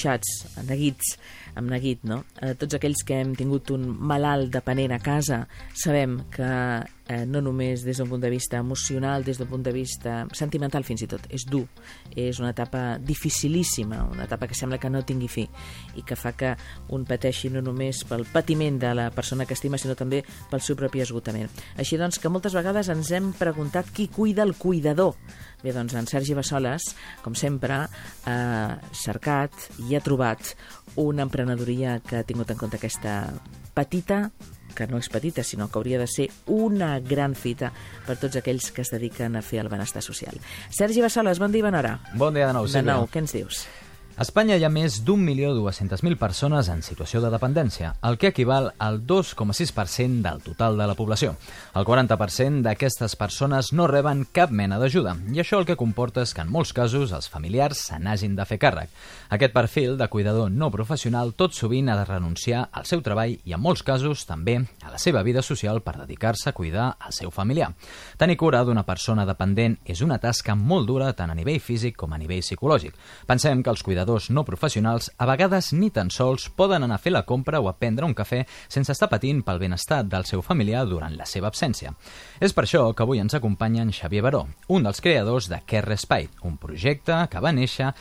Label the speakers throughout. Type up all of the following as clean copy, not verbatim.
Speaker 1: neguits, amb neguit, no? Tots aquells que hem tingut un malalt dependent a casa sabem que no només des d'un punt de vista emocional, des d'un punt de vista sentimental fins i tot, és dur, és una etapa dificilíssima, una etapa que sembla que no tingui fi i que fa que un pateixi no només pel patiment de la persona que estima, sinó també pel seu propi esgotament. Així doncs que moltes vegades ens hem preguntat qui cuida el cuidador. Bé, doncs en Sergi Bassoles, com sempre, ha cercat i ha trobat una emprenedoria que ha tingut en compte aquesta petita, que no és petita, sinó que hauria de ser una gran fita per tots aquells que es dediquen a fer el benestar social. Sergi Bassoles, bon dia i bona hora.
Speaker 2: Bon dia de nou, Sílvia.
Speaker 1: De nou, què ens dius?
Speaker 2: A Espanya hi ha més d'1.200.000 persones en situació de dependència, el que equival al 2,6% del total de la població. El 40% d'aquestes persones no reben cap mena d'ajuda, i això el que comporta és que en molts casos els familiars se n'hagin de fer càrrec. Aquest perfil de cuidador no professional tot sovint ha de renunciar al seu treball i en molts casos també a la seva vida social per dedicar-se a cuidar al seu familiar. Tenir cura d'una persona dependent és una tasca molt dura tant a nivell físic com a nivell psicològic. Pensem que els cuidadors no professionals a vegades ni tan sols poden anar a fer la compra o a prendre un cafè sense estar patint pel benestar del seu familiar durant la seva absència. És per això que avui ens acompanya en Xavier Baró, un dels creadors de Care Respite, un projecte que va néixer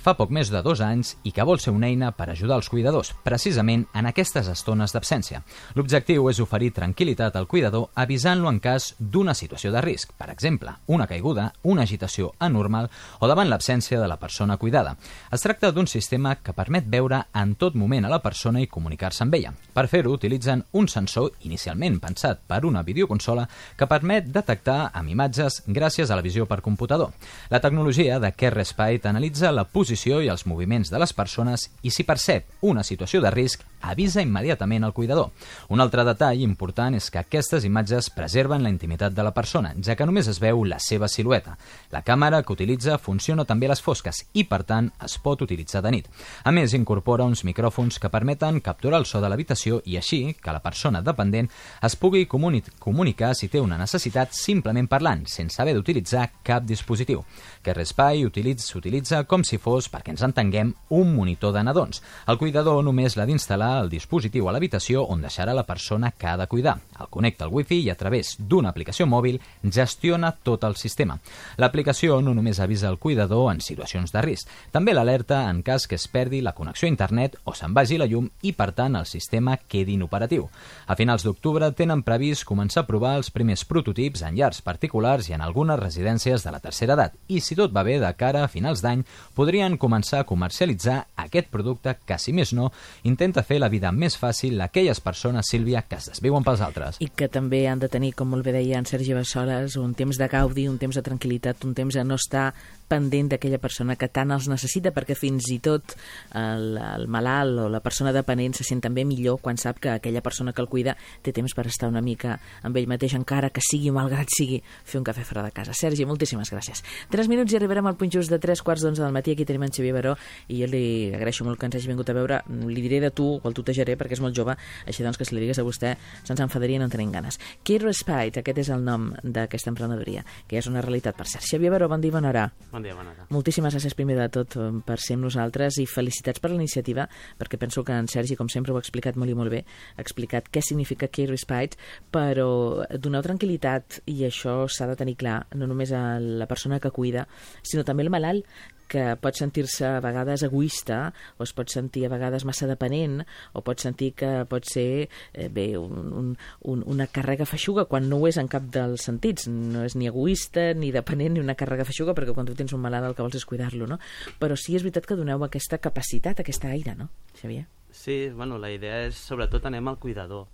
Speaker 2: fa poc més de 2 anys i que vol ser una eina per ajudar els cuidadors, precisament en aquestes estones d'absència. L'objectiu és oferir tranquil·litat al cuidador avisant-lo en cas d'una situació de risc, per exemple, una caiguda, una agitació anormal o davant l'absència de la persona cuidada. Es tracta d'un sistema que permet veure en tot moment a la persona i comunicar-se amb ella. Per fer-ho, utilitzen un sensor inicialment pensat per una videoconsola que permet detectar amb imatges gràcies a la visió per computador. La tecnologia de Care Respite analitza la posició i els moviments de les persones i si percep una situació de risc, avisa immediatament al cuidador. Un altre detall important és que aquestes imatges preserven la intimitat de la persona, ja que només es veu la seva silueta. La càmera que utilitza funciona també a les fosques i, per tant, es pot utilitzar de nit. A més, incorpora uns micròfons que permeten capturar el so de l'habitació i així que la persona dependent es pugui comunicar si té una necessitat simplement parlant, sense haver d'utilitzar cap dispositiu. Care Respite s'utilitza com si fos, perquè ens entenguem, un monitor de nadons. El cuidador només l'ha d'instal·lar el dispositiu a l'habitació on deixarà la persona que ha de cuidar. El connecta al wifi i a través d'una aplicació mòbil gestiona tot el sistema. L'aplicació no només avisa el cuidador en situacions de risc, també l'alerta en cas que es perdi la connexió a internet o se'n vagi la llum i, per tant, el sistema quedi inoperatiu. A finals d'octubre tenen previst començar a provar els primers prototips en llars particulars i en algunes residències de la tercera edat. I si tot va bé, de cara a finals d'any, podrien començar a comercialitzar aquest producte que, si més no, intenta fer la vida més fàcil a aquelles persones, Sílvia, que es desviuen pels altres.
Speaker 1: I que també han de tenir, com molt bé deia en Sergi Bassoles, un temps de gaudi, un temps de tranquil·litat, un temps de no estar pendent d'aquella persona que tant els necessita, perquè fins i tot el malalt o la persona dependent se sent també millor quan sap que aquella persona que el cuida té temps per estar una mica amb ell mateix, encara que sigui, malgrat sigui, fer un cafè fora de casa. Sergi, moltíssimes gràcies. 3 minuts i arribarem al punt just de 3:45 del matí. Aquí tenim en Xavier Baró i jo li agraeixo molt que ens hagi vingut a veure. Li diré de tu, o el tutejaré perquè és molt jove, així doncs que si li digues a vostè se'ns enfadaria i no en tenim ganes. Care Respite, aquest és el nom d'aquesta emprenedoria, que és una realitat, per cert. Xavier Baró, bon dia i bona hora.
Speaker 3: Bon dia, bona hora.
Speaker 1: Moltíssimes gràcies primer de tot per ser amb nosaltres i felicitats per la iniciativa, perquè penso que en Sergi, com sempre, ho ha explicat molt i molt bé, ha explicat què significa Care Respite, però donar tranquil·litat, i això s'ha de tenir clar, no només a la persona que cuida, sinó també al malalt, que pot sentir-se a vegades egoista o es pot sentir a vegades massa dependent o pot sentir que pot ser una càrrega feixuga quan no ho és en cap dels sentits. No és ni egoista ni dependent ni una càrrega feixuga, perquè quan tu tens un malalt el que vols és cuidar-lo, no? Però sí és veritat que doneu aquesta capacitat, aquesta aire, no, Xavier?
Speaker 3: Sí, bueno, la idea és sobretot anem al cuidador,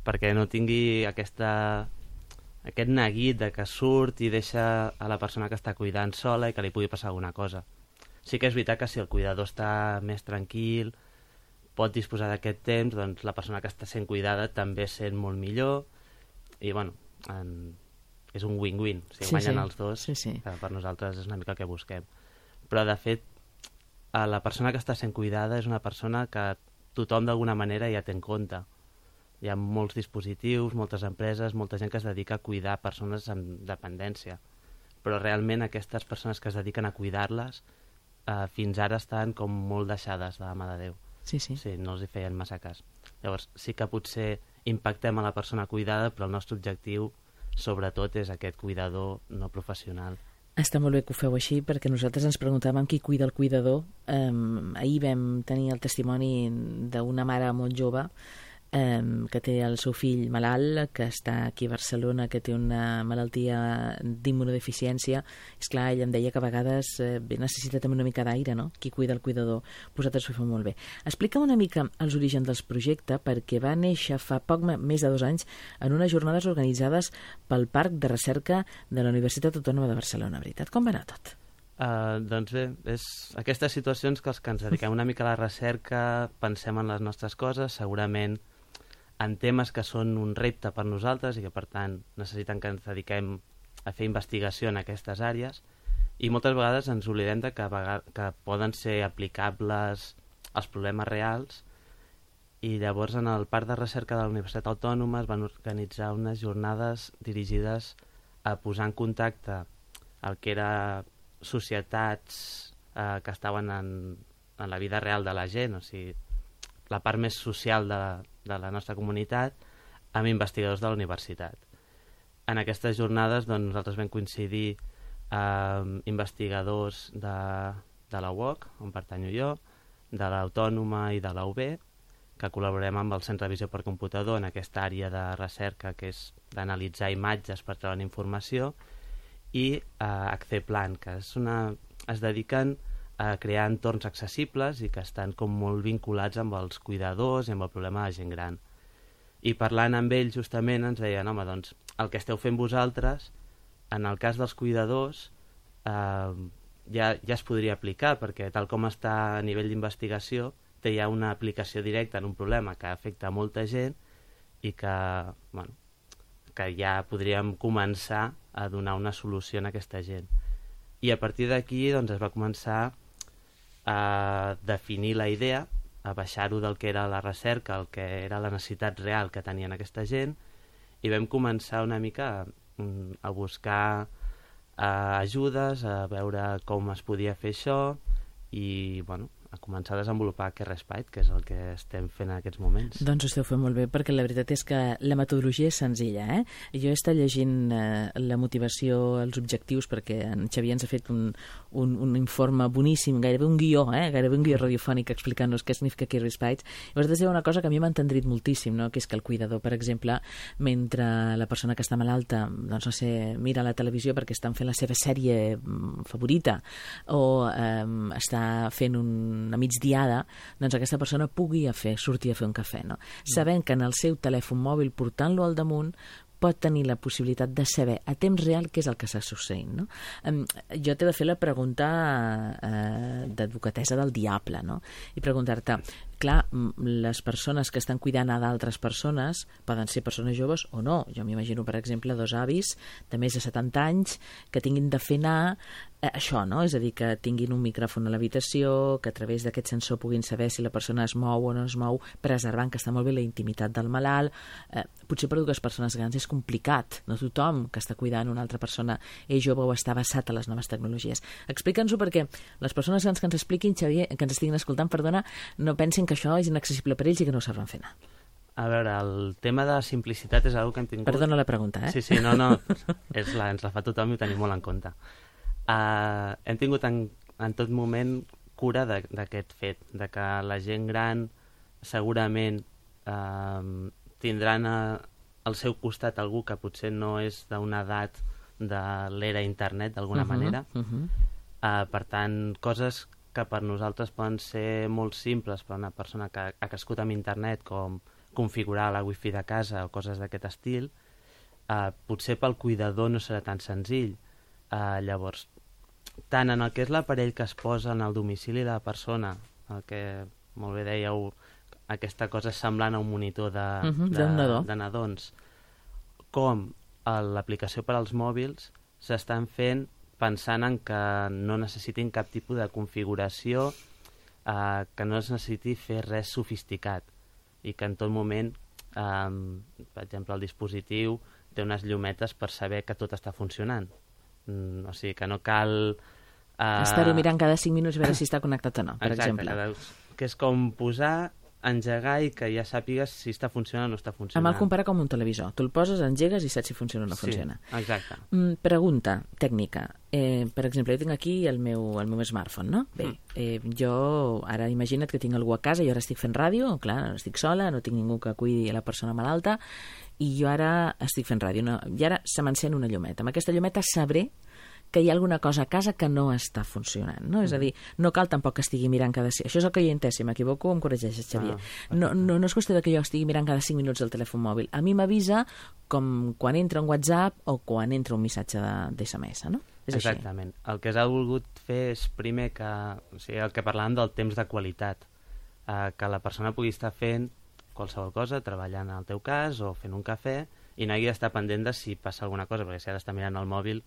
Speaker 3: perquè no tingui aquest neguit de que surt i deixa a la persona que està cuidant sola i que li pugui passar alguna cosa. Sí que és veritat que si el cuidador està més tranquil, pot disposar d'aquest temps, doncs la persona que està sent cuidada també sent molt millor i, bueno, és un win-win. Si guanyen els dos, que per nosaltres és una mica el que busquem. Però, de fet, la persona que està sent cuidada és una persona que tothom d'alguna manera ja té en compte. Hi ha molts dispositius, moltes empreses, molta gent que es dedica a cuidar persones amb dependència. Però realment aquestes persones que es dediquen a cuidar-les fins ara estan com molt deixades de la mà de Déu.
Speaker 1: Sí, sí.
Speaker 3: Sí, no els hi feien massa cas. Llavors, sí que potser impactem a la persona cuidada, però el nostre objectiu, sobretot, és aquest cuidador no professional.
Speaker 1: Està molt bé que ho feu així, perquè nosaltres ens preguntàvem qui cuida el cuidador. Ahir vam tenir el testimoni d'una mare molt jove que té el seu fill malalt, que està aquí a Barcelona, que té una malaltia d'immunodeficiència. És clar, ella em deia que a vegades necessita també una mica d'aire, no? Qui cuida el cuidador. Vosaltres ho feu molt bé. Explica'm una mica els orígens del projecte, perquè va néixer fa poc més de 2 anys en unes jornades organitzades pel Parc de Recerca de la Universitat Autònoma de Barcelona, veritat? Com va anar tot?
Speaker 3: Doncs bé, és aquestes situacions que els que ens dediquem una mica a la recerca pensem en les nostres coses, segurament en temes que són un repte per nosaltres i que, per tant, necessiten que ens dediquem a fer investigació en aquestes àrees, i moltes vegades ens oblidem de que poden ser aplicables als problemes reals, i llavors en el Parc de Recerca de la Universitat Autònoma es van organitzar unes jornades dirigides a posar en contacte el que era societats que estaven en la vida real de la gent, o sigui, la part més social de la nostra comunitat, amb investigadors de la universitat. En aquestes jornades doncs, nosaltres vam coincidir amb investigadors de la UOC, on pertanyo jo, de l'Autònoma i de la UB, que col·laborem amb el Centre de Visió per Computador en aquesta àrea de recerca que és d'analitzar imatges per treure informació, i Acceplan, que es dediquen a crear entorns accessibles i que estan com molt vinculats amb els cuidadors i amb el problema de la gent gran. I parlant amb ells justament ens deien, home, doncs el que esteu fent vosaltres, en el cas dels cuidadors, ja es podria aplicar, perquè tal com està a nivell d'investigació, té ja una aplicació directa en un problema que afecta molta gent i que ja podríem començar a donar una solució a aquesta gent. I a partir d'aquí doncs, es va començar a definir la idea, a baixar-ho del que era la recerca, el que era la necessitat real que tenien aquesta gent, i vam començar una mica a buscar ajudes, a veure com es podia fer això, i a començar a desenvolupar aquest Respite, que és el que estem fent en aquests moments.
Speaker 1: Doncs ho esteu fent molt bé, perquè la veritat és que la metodologia és senzilla. Jo he estat llegint la motivació, els objectius, perquè en Xavier ens ha fet un informe boníssim, gairebé un guió, gairebé un guió radiofònic explicant-nos què significa aquest Respite. I vosaltres dieu una cosa que a mi m'ha entendrit moltíssim, no? Que és que el cuidador, per exemple, mentre la persona que està malalta, doncs no sé, mira la televisió perquè estan fent la seva sèrie favorita, o està fent una migdiada, doncs aquesta persona pugui sortir a fer un cafè, no? Sabent que en el seu telèfon mòbil, portant-lo al damunt, pot tenir la possibilitat de saber a temps real què és el que està succeint, no? Jo t'he de fer la pregunta d'advocatessa del diable, no? I preguntar-te, clar, les persones que estan cuidant a d'altres persones poden ser persones joves o no. Jo m'imagino, per exemple, 2 avis de més de 70 anys que tinguin de fer anar això, no? És a dir, que tinguin un micròfon a l'habitació, que a través d'aquest sensor puguin saber si la persona es mou o no es mou, preservant que està molt bé la intimitat del malalt. Potser per a 2 persones grans és complicat. No tothom que està cuidant una altra persona és jove o està vessat a les noves tecnologies. Explica'ns-ho perquè les persones grans que ens expliquin, Xavier, que ens estiguin escoltant, perdona, no pensin que això és inaccessible per ells i que no ho sabran fer anar.
Speaker 3: A veure, el tema de simplicitat és una que hem tingut...
Speaker 1: Perdona la pregunta,
Speaker 3: Sí, no, ens la fa tothom i ho tenim molt en compte. Hem tingut en tot moment cura d'aquest fet, de que la gent gran segurament tindran al seu costat algú que potser no és d'una edat de l'era internet, d'alguna manera. Per tant, coses que per nosaltres poden ser molt simples per una persona que ha crescut amb internet, com configurar la wifi de casa o coses d'aquest estil, potser pel cuidador no serà tan senzill. Llavors, tant en el que és l'aparell que es posa en el domicili de la persona, el que molt bé dèieu, aquesta cosa semblant a un monitor de nadons, com l'aplicació per als mòbils, s'estan fent pensant en que no necessitin cap tipus de configuració, que no es necessiti fer res sofisticat i que en tot moment, per exemple, el dispositiu té unes llumetes per saber que tot està funcionant. O sigui, que no cal
Speaker 1: Estar-ho mirant cada 5 minuts a veure si està connectat o no, per exemple.
Speaker 3: Que és com posar, engegar i que ja sàpigues si està funcionant o no està funcionant.
Speaker 1: Amb el comparar com un televisor. Tu el poses, engegues i saps si funciona o no funciona.
Speaker 3: Exacte.
Speaker 1: Pregunta tècnica. Per exemple, jo tinc aquí el meu smartphone, no? Bé, jo ara imagina't que tinc algú a casa, jo ara estic fent ràdio, clar, estic sola, no tinc ningú que cuidi la persona malalta, i jo ara estic fent ràdio, no? I ara se m'encén una llumeta. Amb aquesta llumeta sabré que hi ha alguna cosa a casa que no està funcionant, no? És a dir, no cal tampoc que estigui mirant cada... Això és el que jo he entès, si m'equivoco em corregeixes, Xavier. No és qüestió que jo estigui mirant cada 5 minuts el telèfon mòbil. A mi m'avisa com quan entra un WhatsApp o quan entra un missatge d'SMS, no? És
Speaker 3: exactament. Així. El que s'ha volgut fer és primer que... O sigui, el que parlàvem del temps de qualitat, que la persona pugui estar fent qualsevol cosa, treballant al teu cas o fent un cafè, i no hagi d'estar pendent de si passa alguna cosa, perquè si ha d'estar mirant el mòbil...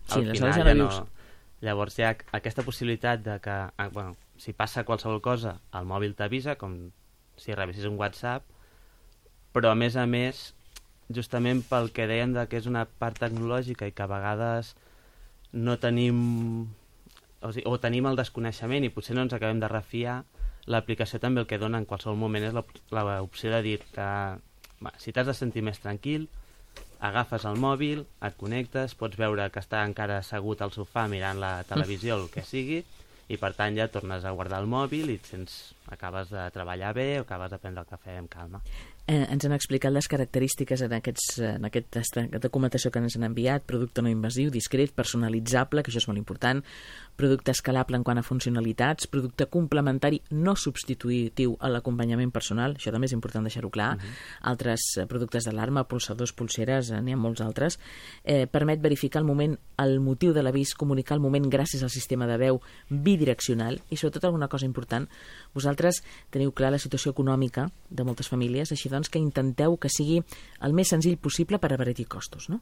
Speaker 1: Sí,
Speaker 3: al final ja no... Llavors hi ha aquesta possibilitat de que, si passa qualsevol cosa, el mòbil t'avisa, com si rebessis un WhatsApp, però a més, justament pel que deien que és una part tecnològica i que a vegades no tenim... O tenim el desconeixement i potser no ens acabem de refiar, l'aplicació també el que dona en qualsevol moment és l'opció de dir que si t'has de sentir més tranquil, agafes el mòbil, et connectes, pots veure que està encara assegut al sofà mirant la televisió o el que sigui, i per tant ja tornes a guardar el mòbil i acabes de treballar bé o acabes de prendre el cafè amb calma.
Speaker 1: Ens han explicat les característiques en aquesta documentació que ens han enviat: producte no invasiu, discret, personalitzable, que això és molt important, producte escalable en quant a funcionalitats, producte complementari no substitutiu a l'acompanyament personal, això també és important deixar-ho clar, altres productes d'alarma, pulsadors, pulseres, n'hi ha molts altres, permet verificar el motiu de l'avís, comunicar el moment gràcies al sistema de veu bidireccional i sobretot alguna cosa important, vosaltres teniu clar la situació econòmica de moltes famílies, així doncs que intenteu que sigui el més senzill possible per abaratir costos, no?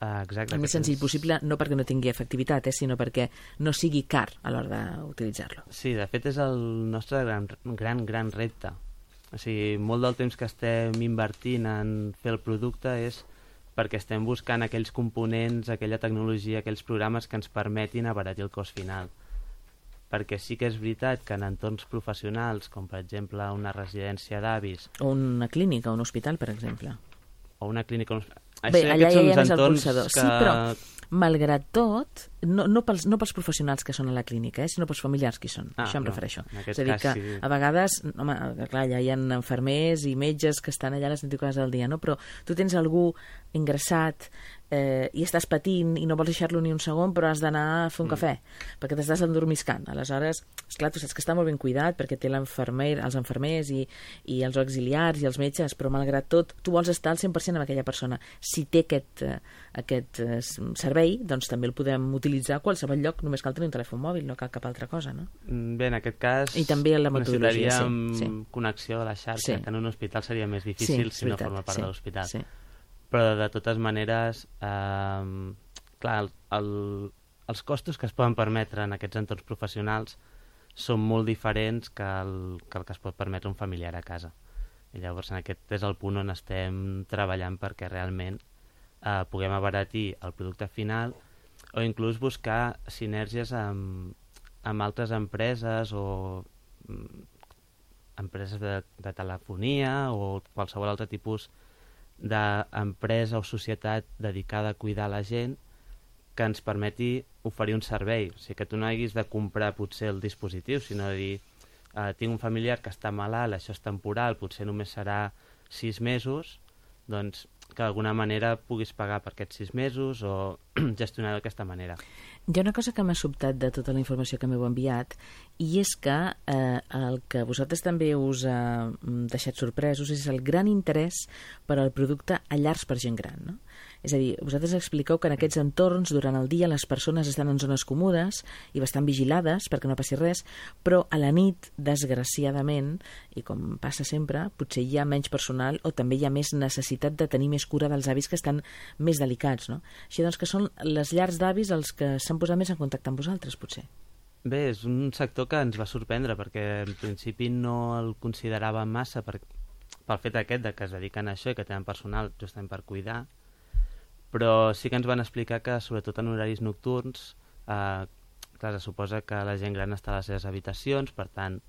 Speaker 3: Exacte.
Speaker 1: El més senzill possible no perquè no tingui efectivitat, sinó perquè no sigui car a l'hora d'utilitzar-lo.
Speaker 3: Sí, de fet és el nostre gran repte. O sigui, molt del temps que estem invertint en fer el producte és perquè estem buscant aquells components, aquella tecnologia, aquells programes que ens permetin abaratir el cost final. Perquè sí que és veritat que en entorns professionals, com per exemple una residència d'avis...
Speaker 1: O una clínica, un hospital, per exemple.
Speaker 3: O una clínica...
Speaker 1: Bé, allà ja és el pulsador. Sí, però, malgrat tot, no pels professionals que són a la clínica, sinó pels familiars que hi són. Això em refereixo. És a dir, que a vegades, home, clar, ja hi ha infermers i metges que estan allà a les 24 hores del dia, no? Però tu tens algú ingressat i estàs patint i no vols deixar-lo ni un segon, però has d'anar a fer un cafè, perquè t'estàs endormiscant. Aleshores, esclar, tu saps que està molt ben cuidat perquè té els infermers i els auxiliars i els metges, però malgrat tot, tu vols estar al 100% amb aquella persona. Si té aquest servei, doncs també el podem utilitzar a qualsevol lloc, només cal tenir un telèfon mòbil, no cal cap altra cosa, no?
Speaker 3: Bé, en aquest cas
Speaker 1: i també la metodologia,
Speaker 3: necessitaríem connexió a la xarxa, que en un hospital seria més difícil si no forma part de l'hospital.
Speaker 1: Sí.
Speaker 3: Però de totes maneres, clar, els costos que es poden permetre en aquests entorns professionals són molt diferents que el que es pot permetre un familiar a casa. I llavors aquest és el punt on estem treballant perquè realment puguem abaratir el producte final o inclús buscar sinergies amb altres empreses o empreses de telefonia o qualsevol altre tipus d'empresa o societat dedicada a cuidar la gent que ens permeti oferir un servei. O sigui, que tu no haguis de comprar potser el dispositiu, sinó de dir tinc un familiar que està malalt, això és temporal, potser només serà 6 mesos, doncs que d'alguna manera puguis pagar per aquests 6 mesos o gestionar d'aquesta manera.
Speaker 1: Hi ha una cosa que m'ha sobtat de tota la informació que m'heu enviat i és que el que vosaltres també us ha deixat sorpresos és el gran interès per al producte a llars per gent gran, no? És a dir, vosaltres expliqueu que en aquests entorns durant el dia les persones estan en zones còmodes i bastant vigilades perquè no passi res, però a la nit, desgraciadament, i com passa sempre, potser hi ha menys personal o també hi ha més necessitat de tenir més cura dels avis que estan més delicats, no? Així doncs que són les llars d'avis els que s'han posat més en contacte amb vosaltres, potser.
Speaker 3: Bé, és un sector que ens va sorprendre perquè en principi no el consideràvem massa pel fet aquest de que es dediquen a això i que tenen personal justament per cuidar, però sí que ens van explicar que sobretot en horaris nocturns, clar, se suposa que la gent gran està a les seves habitacions, per tant,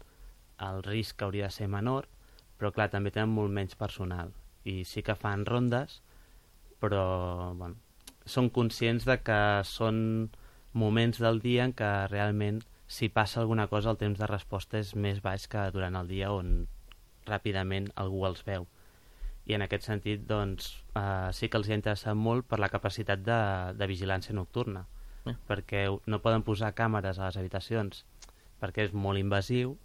Speaker 3: el risc hauria de ser menor, però clar, també tenen molt menys personal. I sí que fan rondes, però bueno, són conscients de que són moments del dia en què realment, si passa alguna cosa, el temps de resposta és més baix que durant el dia on ràpidament algú els veu. I en aquest sentit, doncs, sí que els hi ha interessat molt per la capacitat de vigilància nocturna, perquè no poden posar càmeres a les habitacions perquè és molt invasiu,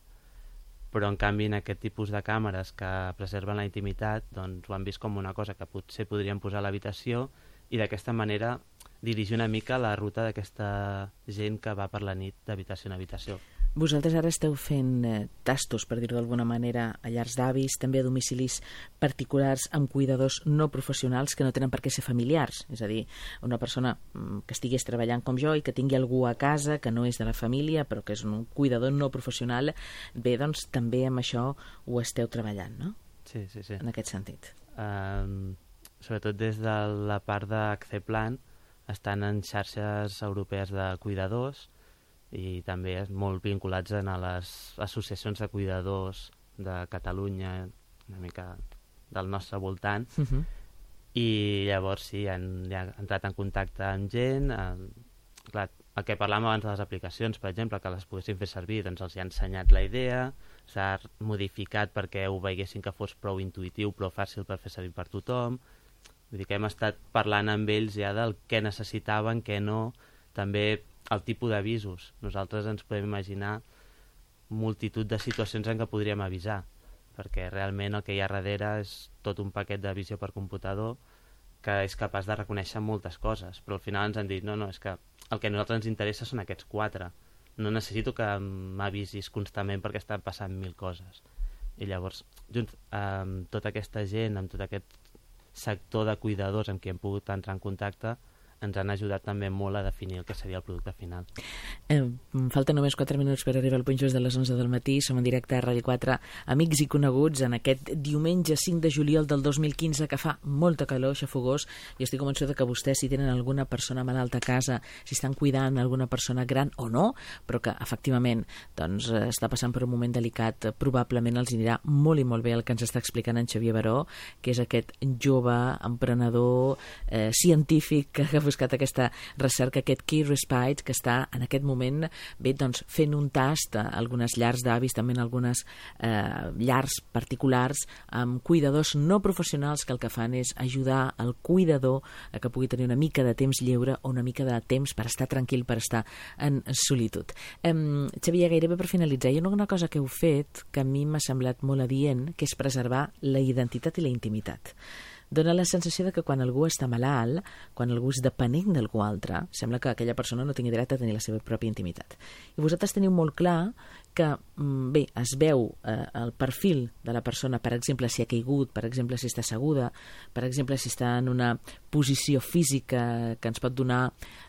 Speaker 3: però en canvi en aquest tipus de càmeres que preserven la intimitat, doncs ho han vist com una cosa que potser podrien posar a l'habitació i d'aquesta manera dirigir una mica la ruta d'aquesta gent que va per la nit d'habitació en habitació.
Speaker 1: Vosaltres ara esteu fent tastos, per dir-ho d'alguna manera, a llars d'avis, també a domicilis particulars amb cuidadors no professionals que no tenen per què ser familiars. És a dir, una persona que estigués treballant com jo i que tingui algú a casa que no és de la família però que és un cuidador no professional. Bé, doncs també amb això ho esteu treballant, no?
Speaker 3: Sí.
Speaker 1: En aquest sentit.
Speaker 3: Sobretot des de la part d'Acceplan estan en xarxes europees de cuidadors i també molt vinculats a les associacions de cuidadors de Catalunya, una mica del nostre voltant, i llavors sí, han entrat en contacte amb gent. Clar, el que parlàvem abans de les aplicacions, per exemple, que les poguessin fer servir, doncs els hi ha ensenyat la idea, s'ha modificat perquè ho veiessin que fos prou intuïtiu, prou fàcil per fer servir per tothom. Vull dir que hem estat parlant amb ells ja del què necessitaven, què no, també el tipus d'avisos. Nosaltres ens podem imaginar multitud de situacions en què podríem avisar, perquè realment el que hi ha darrere és tot un paquet de visió per computador que és capaç de reconèixer moltes coses, però al final ens han dit no, és que el que a nosaltres ens interessa són aquests 4. No necessito que m'avisis constantment perquè estan passant 1000 coses. I llavors, junts amb tota aquesta gent, amb tot aquest sector de cuidadors amb qui hem pogut entrar en contacte, ens han ajudat també molt a definir el que seria el producte final.
Speaker 1: Falten només 4 minuts per arribar al punt just de les 11 del matí. Som en directe a Ràdio 4, amics i coneguts, en aquest diumenge 5 de juliol del 2015, que fa molta calor, xafogós, i estic convençuda que vostès, si tenen alguna persona malalta a casa, si estan cuidant alguna persona gran o no, però que efectivament doncs, està passant per un moment delicat, probablement els anirà molt i molt bé el que ens està explicant en Xavier Baró, que és aquest jove emprenedor científic que ha buscat aquesta recerca, aquest Key Respite, que està en aquest moment doncs, fent un tast a algunes llars d'avis, també en algunes llars particulars, amb cuidadors no professionals que el que fan és ajudar el cuidador a que pugui tenir una mica de temps lliure o una mica de temps per estar tranquil, per estar en solitud. Xavier, gairebé per finalitzar, hi ha una cosa que heu fet que a mi m'ha semblat molt adient, que és preservar la identitat i la intimitat. Dóna la sensació de que quan algú està malalt, quan algú és dependent d'algú altre, sembla que aquella persona no tingui dret a tenir la seva pròpia intimitat. I vosaltres teniu molt clar que, bé, es veu el perfil de la persona, per exemple, si ha caigut, per exemple, si està asseguda, per exemple, si està en una posició física que ens pot donar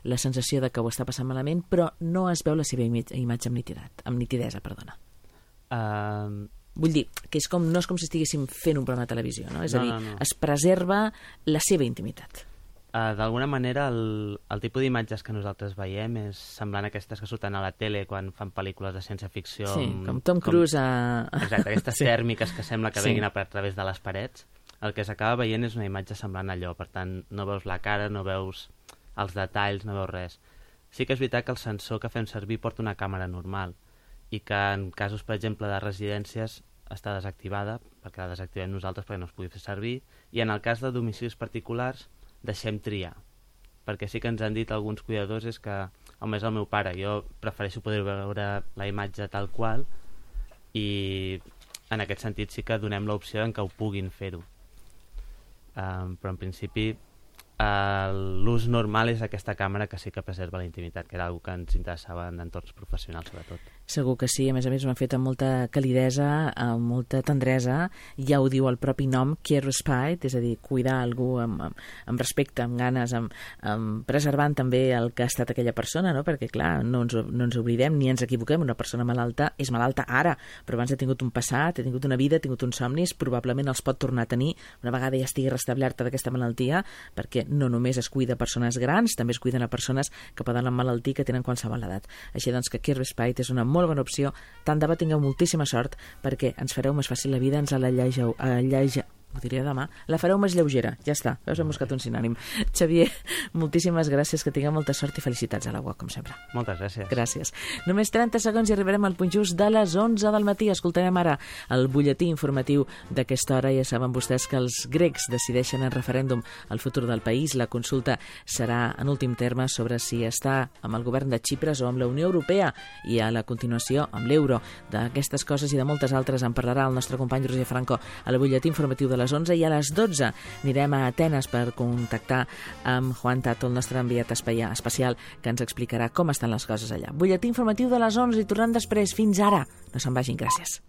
Speaker 1: la sensació de que ho està passant malament, però no es veu la seva imatge amb nitidesa. Vull dir, que no és com si estiguéssim fent un programa de televisió, no? És a dir, es preserva la seva intimitat.
Speaker 3: D'alguna manera, el tipus d'imatges que nosaltres veiem és semblant a aquestes que surten a la tele quan fan pel·lícules de ciència-ficció.
Speaker 1: Sí, com Tom Cruise
Speaker 3: Exacte, aquestes tèrmiques que sembla que venguin a través de les parets. El que s'acaba veient és una imatge semblant a allò, per tant, no veus la cara, no veus els detalls, no veus res. Sí que és veritat que el sensor que fem servir porta una càmera normal, i que en casos, per exemple, de residències està desactivada, perquè la desactivem nosaltres perquè no es pugui fer servir, i en el cas de domicilis particulars deixem triar, perquè sí que ens han dit alguns cuidadors és que, home, és el meu pare, jo prefereixo poder veure la imatge tal qual, i en aquest sentit sí que donem l'opció en què ho puguin fer-ho. Però en principi l'ús normal és aquesta càmera que sí que preserva la intimitat, que era una que ens interessava en entorns professionals, sobretot.
Speaker 1: Segur que sí, a més ho han fet amb molta calidesa, amb molta tendresa, ja ho diu el propi nom, Care Respite, és a dir, cuidar algú amb respecte, amb ganes, preservant també el que ha estat aquella persona, no? Perquè clar, no ens oblidem ni ens equivoquem, una persona malalta és malalta ara, però abans ha tingut un passat, ha tingut una vida, ha tingut uns somnis, probablement els pot tornar a tenir una vegada ja estigui restablerta d'aquesta malaltia, perquè no només es cuida a persones grans, també es cuiden a persones que poden emmalaltir, que tenen qualsevol edat. Així doncs que Care Respite és una molt bona opció. Tant de bo tingueu moltíssima sort perquè ens fareu més fàcil la vida, ens ho diria demà, la fareu més lleugera. Ja està, veus, hem buscat un sinònim. Xavier, moltíssimes gràcies, que tingueu molta sort i felicitats a la UOC, com sempre.
Speaker 3: Moltes gràcies.
Speaker 1: Gràcies. Només 30 segons i arribarem al punt just de les 11 del matí. Escoltarem ara el butlletí informatiu d'aquesta hora. Ja saben vostès que els grecs decideixen en referèndum el futur del país. La consulta serà, en últim terme, sobre si està amb el govern de Xipres o amb la Unió Europea i a la continuació amb l'euro. D'aquestes coses i de moltes altres en parlarà el nostre company Roger Franco al butlletí informatiu de les 11, i a les 12 anirem a Atenes per contactar amb Juan Tato, el nostre enviat especial, que ens explicarà com estan les coses allà. Butlletí informatiu de les 11 i tornant després. Fins ara. No se'n vagin. Gràcies.